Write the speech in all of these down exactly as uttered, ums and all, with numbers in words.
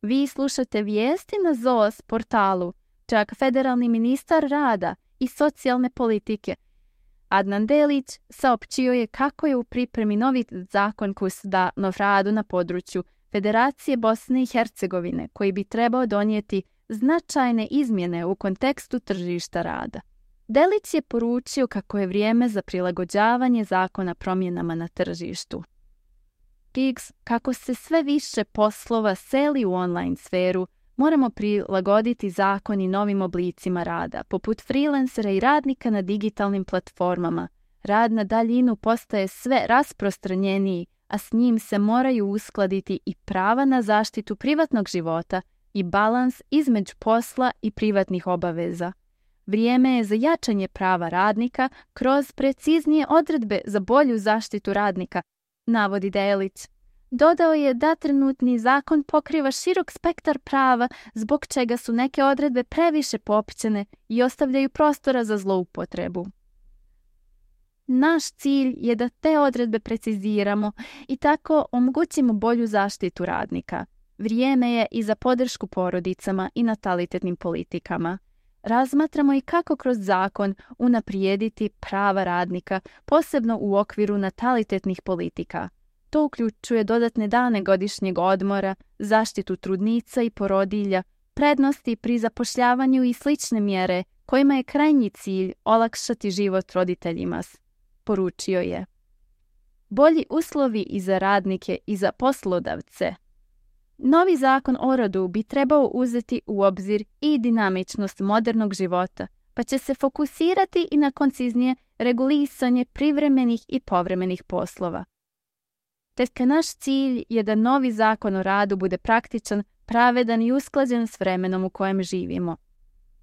Vi slušate vijesti na Z O S portalu. Čak federalni ministar rada i socijalne politike Adnan Delić saopćio je kako je u pripremi novi zakon koji se da nov radu na području Federacije Bosne i Hercegovine, koji bi trebao donijeti značajne izmjene u kontekstu tržišta rada. Delić je poručio kako je vrijeme za prilagođavanje zakona promjenama na tržištu. Gigs, kako se sve više poslova seli u online sferu, moramo prilagoditi zakoni novim oblicima rada, poput freelancera i radnika na digitalnim platformama. Rad na daljinu postaje sve rasprostranjeniji, a s njim se moraju uskladiti i prava na zaštitu privatnog života i balans između posla i privatnih obaveza. Vrijeme je za jačanje prava radnika kroz preciznije odredbe za bolju zaštitu radnika, navodi Delić. Dodao je da trenutni zakon pokriva širok spektar prava, zbog čega su neke odredbe previše poopćene i ostavljaju prostora za zloupotrebu. Naš cilj je da te odredbe preciziramo i tako omogućimo bolju zaštitu radnika. Vrijeme je i za podršku porodicama i natalitetnim politikama. Razmatramo i kako kroz zakon unaprijediti prava radnika, posebno u okviru natalitetnih politika. To uključuje dodatne dane godišnjeg odmora, zaštitu trudnica i porodilja, prednosti pri zapošljavanju i slične mjere kojima je krajnji cilj olakšati život roditeljima, poručio je. Bolji uslovi i za radnike i za poslodavce. Novi zakon o radu bi trebao uzeti u obzir i dinamičnost modernog života, pa će se fokusirati i na konciznije regulisanje privremenih i povremenih poslova. Te naš cilj je da novi zakon o radu bude praktičan, pravedan i usklađen s vremenom u kojem živimo.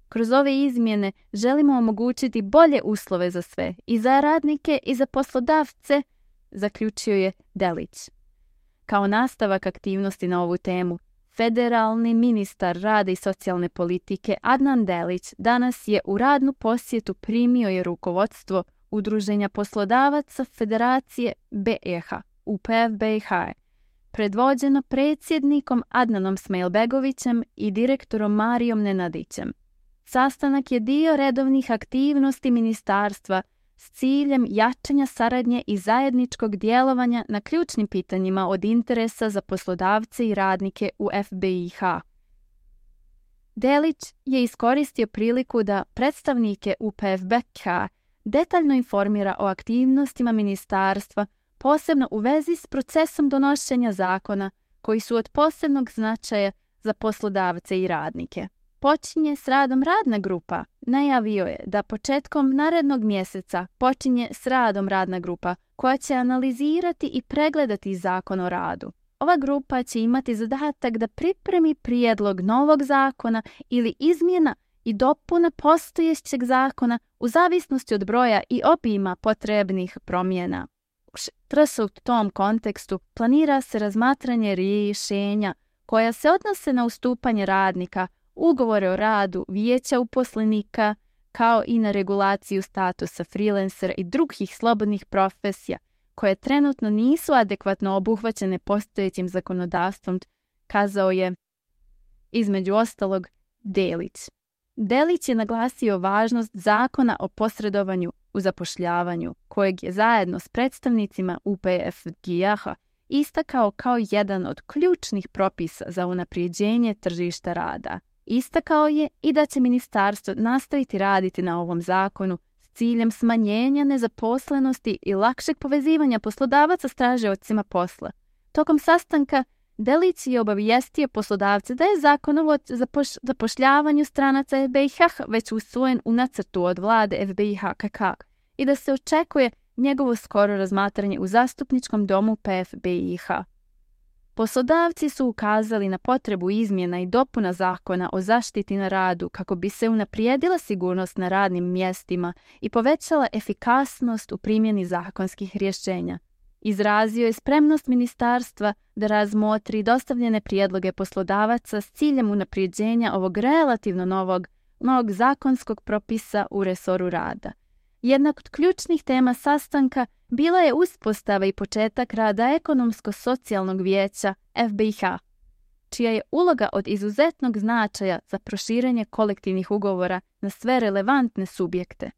Kroz ove izmjene želimo omogućiti bolje uslove za sve, i za radnike i za poslodavce, zaključio je Delić. Kao nastavak aktivnosti na ovu temu, federalni ministar rada i socijalne politike Adnan Delić danas je u radnu posjetu primio je rukovodstvo Udruženja poslodavaca Federacije B i H, U P F B i H, predvođeno predsjednikom Adnanom Smajlbegovićem i direktorom Marijom Nenadićem. Sastanak je dio redovnih aktivnosti ministarstva s ciljem jačanja saradnje i zajedničkog djelovanja na ključnim pitanjima od interesa za poslodavce i radnike u F B i H. Delić je iskoristio priliku da predstavnike U P F B i H detaljno informira o aktivnostima ministarstva, posebno u vezi s procesom donošenja zakona koji su od posebnog značaja za poslodavce i radnike. Počinje s radom radna grupa. Najavio je da početkom narednog mjeseca počinje s radom radna grupa koja će analizirati i pregledati zakon o radu. Ova grupa će imati zadatak da pripremi prijedlog novog zakona ili izmjena i dopuna postojećeg zakona u zavisnosti od broja i obima potrebnih promjena. U tom kontekstu planira se razmatranje rješenja koja se odnose na ustupanje radnika, ugovore o radu, vijeća uposlenika, kao i na regulaciju statusa freelancera i drugih slobodnih profesija koje trenutno nisu adekvatno obuhvaćene postojećim zakonodavstvom, kazao je između ostalog Delić. Delić je naglasio važnost zakona o posredovanju u zapošljavanju, kojeg je zajedno s predstavnicima U P F B i H istakao kao jedan od ključnih propisa za unaprijeđenje tržišta rada. Istakao je i da će ministarstvo nastaviti raditi na ovom zakonu s ciljem smanjenja nezaposlenosti i lakšeg povezivanja poslodavaca s tražiocima posla. Tokom sastanka Delić je obavijestio poslodavce da je zakon o zapošljavanju stranaca F B i H već usvojen u nacrtu od vlade F B i H K K i da se očekuje njegovo skoro razmatranje u zastupničkom domu P F B i H. Poslodavci su ukazali na potrebu izmjena i dopuna zakona o zaštiti na radu kako bi se unaprijedila sigurnost na radnim mjestima i povećala efikasnost u primjeni zakonskih rješenja. Izrazio je spremnost ministarstva da razmotri dostavljene prijedloge poslodavaca s ciljem unaprijeđenja ovog relativno novog, novog zakonskog propisa u resoru rada. Jedna od ključnih tema sastanka bila je uspostava i početak rada Ekonomsko-socijalnog vijeća F B i H. čija je uloga od izuzetnog značaja za proširenje kolektivnih ugovora na sve relevantne subjekte.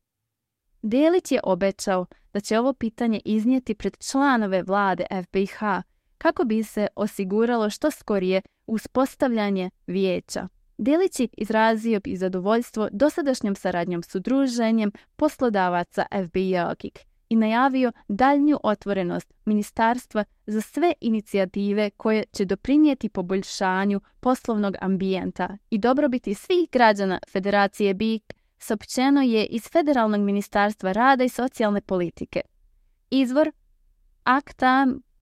Delić je obećao da će ovo pitanje iznijeti pred članove vlade F B I H kako bi se osiguralo što skorije uspostavljanje vijeća. Delić je izrazio i zadovoljstvo dosadašnjom saradnjom s udruženjem poslodavaca F B I-a i najavio daljnju otvorenost ministarstva za sve inicijative koje će doprinijeti poboljšanju poslovnog ambijenta i dobrobiti svih građana Federacije B I K, saopćeno je iz Federalnog ministarstva rada i socijalne politike. Izvor akta